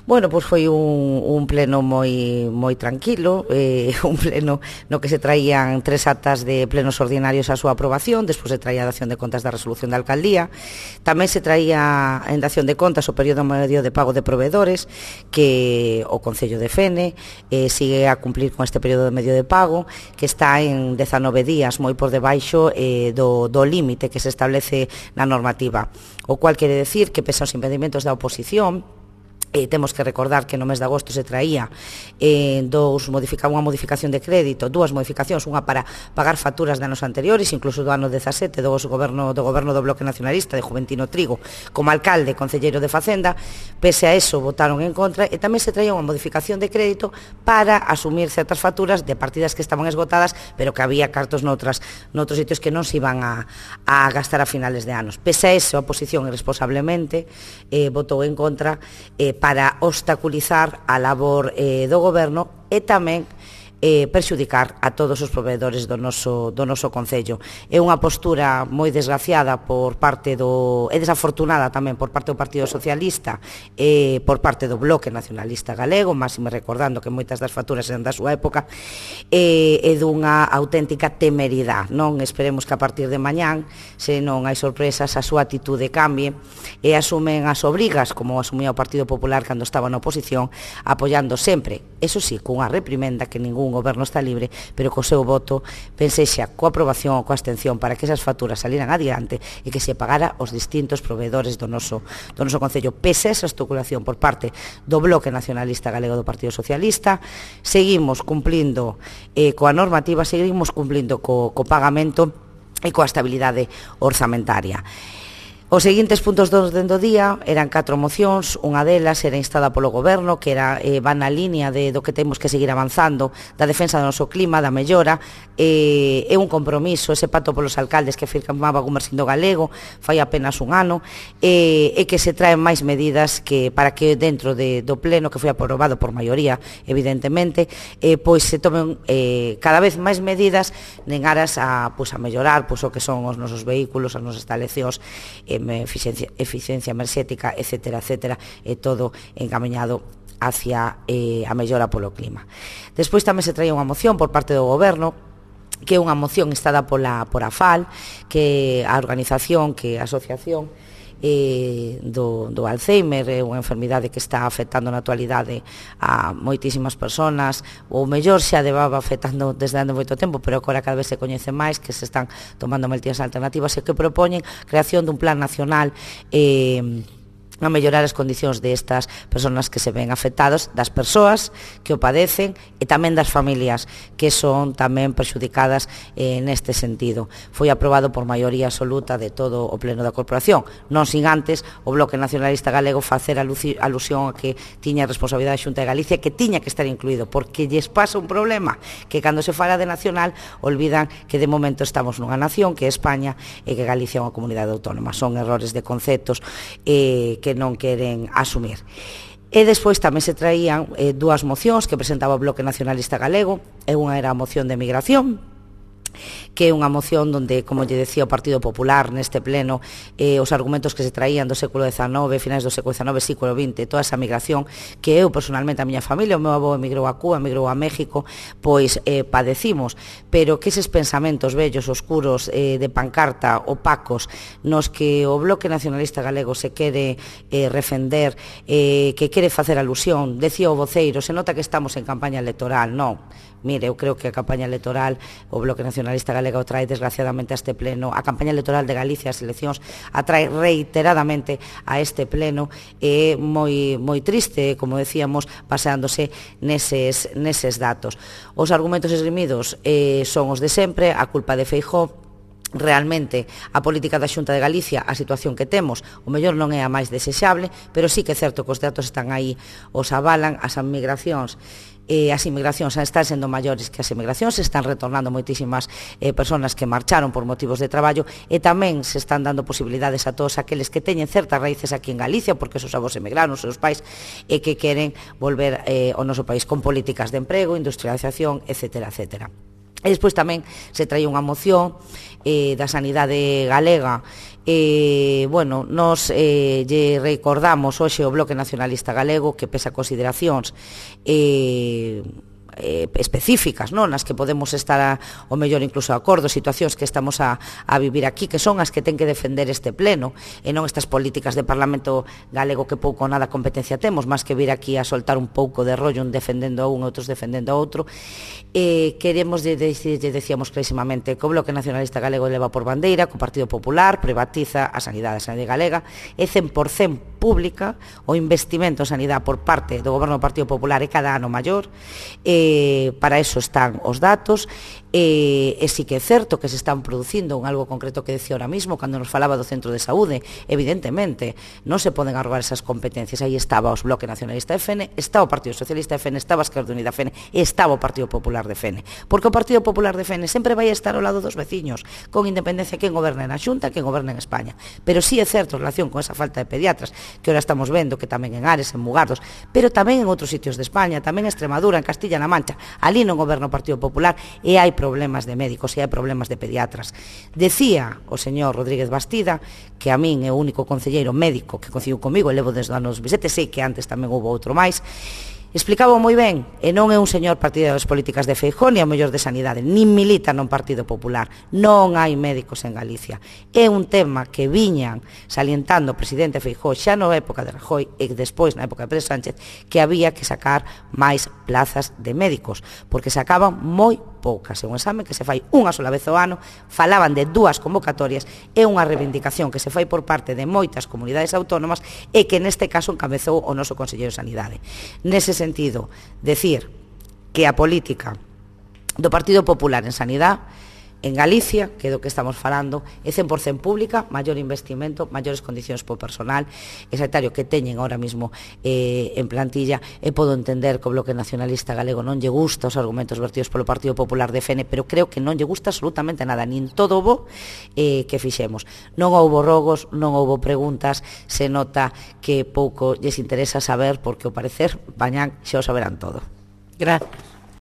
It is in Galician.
Bueno, pois foi un pleno moi tranquilo, un pleno no que se traían 3 actas de plenos ordinarios a súa aprobación, despois se traía a dación de contas da resolución da alcaldía, tamén se traía en dación de contas o período medio de pago de proveedores, que o Concello defende, sigue a cumplir con este período medio de pago, que está en 19 días, moi por debaixo do límite que se establece na normativa, o cual quere decir que pese aos impedimentos da oposición, temos que recordar que no mes de agosto se traía unha modificación de crédito, dúas modificacións, unha para pagar facturas de anos anteriores, incluso do ano 17 do goberno do Bloque Nacionalista de Juventino Trigo como alcalde, concelleiro de Facenda. Pese a eso votaron en contra, e tamén se traía unha modificación de crédito para asumir certas facturas de partidas que estaban esgotadas, pero que había cartos noutros sitios que non se iban a gastar a finales de anos. Pese a eso, a oposición irresponsablemente votou en contra para obstaculizar a labor do goberno e tamén perxudicar a todos os proveedores do noso Concello. É unha postura moi desgraciada e desafortunada tamén por parte do Partido Socialista e por parte do Bloque Nacionalista Galego, máxime recordando que moitas das facturas eran da súa época, e dunha auténtica temeridade. Non esperemos que a partir de mañán, se non hai sorpresas, a súa atitude cambie e asumen as obrigas, como asumía o Partido Popular cando estaba na oposición, apoiando sempre, eso sí, cunha reprimenda que ningún goberno está libre, pero co seu voto pensexa coa aprobación ou coa abstención para que esas facturas saliran adiante e que se pagara aos distintos proveedores do noso Concello. Pese a esa estoculación por parte do Bloque Nacionalista Galego do Partido Socialista, seguimos cumplindo coa normativa, seguimos cumplindo co pagamento e coa estabilidade orzamentaria. Os seguintes puntos do orden do día eran 4 mocións, unha delas era instada polo Goberno, que va na línea do que temos que seguir avanzando, da defensa do noso clima, da mellora, é un compromiso, ese pacto polos alcaldes que firmaba Gumersindo Galego fai apenas un ano, e que se traen máis medidas para que dentro do pleno, que foi aprobado por maioría, evidentemente, pois se tomen cada vez máis medidas en aras a mellorar o que son os nosos vehículos, as nosas instalacións, eficiencia enerxética, etcétera, e todo encamiñado hacia a mellora polo clima. Despois tamén se traía unha moción por parte do Goberno, que é unha moción instada por AFAL, que a organización, que a asociación do Alzheimer, é unha enfermidade que está afectando na actualidade a moitísimas persoas, ou mellor xa levaba afectando desde há moito tempo, pero agora cada vez se coñece máis, que se están tomando medidas alternativas e que propoñen creación dun plan nacional a mellorar as condicións destas persoas que se ven afectadas, das persoas que o padecen e tamén das familias que son tamén perxudicadas neste sentido. Foi aprobado por maioría absoluta de todo o pleno da corporación, non sin antes o Bloque Nacionalista Galego facer alusión a que tiña responsabilidade a Xunta de Galicia, que tiña que estar incluído, porque lles pasa un problema, que cando se fala de nacional olvidan que de momento estamos nunha nación que é España e que Galicia é unha comunidade autónoma. Son errores de conceptos que non queren asumir. E despois tamén se traían dúas mocións que presentaba o Bloque Nacionalista Galego, e unha era a moción de migración, que é unha moción onde, como lle decía o Partido Popular neste pleno, os argumentos que se traían do século XIX, finais do século XIX, século XX, toda esa migración que eu personalmente, a miña familia, o meu avó emigrou a Cuba, emigrou a México, pois padecimos, pero que eses pensamentos vellos, oscuros, de pancarta, opacos, nos que o Bloque Nacionalista Galego se quere refender, que quere facer alusión, decía o voceiro, se nota que estamos en campaña electoral. Non, mire, eu creo que a campaña electoral, o Bloque Nacionalista Galego trae desgraciadamente a este pleno, a campaña electoral de Galicia, as eleccións, atrae reiteradamente a este pleno, e moi triste, como decíamos, baseándose neses datos. Os argumentos esgrimidos son os de sempre, a culpa de Feijóo. Realmente a política da Xunta de Galicia, a situación que temos, o mellor non é a máis desexable, pero sí que é certo que os datos están aí, os avalan, as inmigracións están sendo maiores que as emigracións, se están retornando moitísimas persoas que marcharon por motivos de traballo, e tamén se están dando posibilidades a todos aqueles que teñen certas raíces aquí en Galicia, porque os seus avós emigraron, os seus pais, e que queren volver ao noso país con políticas de emprego, industrialización, etcétera. E despois tamén se traía unha moción da sanidade galega. Bueno, nos lle recordamos hoxe o Bloque Nacionalista Galego que pese a consideracións específicas, non? Nas que podemos estar o mellor incluso de acordo, situacións que estamos a vivir aquí, que son as que ten que defender este pleno, e non estas políticas de Parlamento galego que pouco ou nada competencia temos, máis que vir aquí a soltar un pouco de rollo, un defendendo a un, outros defendendo a outro. Queremos decíamos clarísimamente que o Bloque Nacionalista Galego leva por bandeira que o Partido Popular privatiza a sanidade galega, é 100% pública, o investimento en sanidade por parte do Goberno do Partido Popular é cada ano maior, para eso están os datos, e sí que é certo que se están producindo un algo concreto que decía ahora mismo, cando nos falaba do centro de saúde, evidentemente non se poden arrogar esas competencias, aí estaba os Bloque Nacionalista de FN, está o Partido Socialista de FN, estaba a Esquerda Unida de FN, estaba o Partido Popular de FN, porque o Partido Popular de FN sempre vai estar ao lado dos veciños, con independencia quen goberna na Xunta, quen goberna en España, pero sí é certo en relación con esa falta de pediatras, que ahora estamos vendo que tamén en Ares, en Mugardos, pero tamén en outros sitios de España, tamén en Extremadura, en Castilla-La Mancha, ali non goberna o Partido Popular e hai problemas de médicos e hai problemas de pediatras. Decía o señor Rodríguez Bastida que a min é o único concelleiro médico que coincidiu comigo, levo desde os anos 27, sei que antes tamén houve outro máis, explicaba moi ben, e non é un señor partidario das políticas de Feijóo ni a mellor de sanidade, nin milita non Partido Popular, non hai médicos en Galicia. É un tema que viñan salientando o presidente Feijóo xa na época de Rajoy e despois na época de Pedro Sánchez, que había que sacar máis plazas de médicos, porque sacaban moi poucas. É un exame que se fai unha sola vez ao ano, falaban de 2 convocatorias, é unha reivindicación que se fai por parte de moitas comunidades autónomas e que neste caso encabezou o noso Conselleiro de Sanidade. Nese sentido, decir que a política do Partido Popular en sanidade en Galicia, que é do que estamos falando, é 100% pública, maior investimento, maiores condicións por personal sanitario que teñen ahora mismo en plantilla, e podo entender que o Bloque Nacionalista Galego non lle gusta os argumentos vertidos polo Partido Popular de FN, pero creo que non lle gusta absolutamente nada, nin todo o bo que fixemos. Non houbo rogos, non houbo preguntas, se nota que pouco lles interesa saber, porque ao parecer mañán xa o saberán todo. Gracias.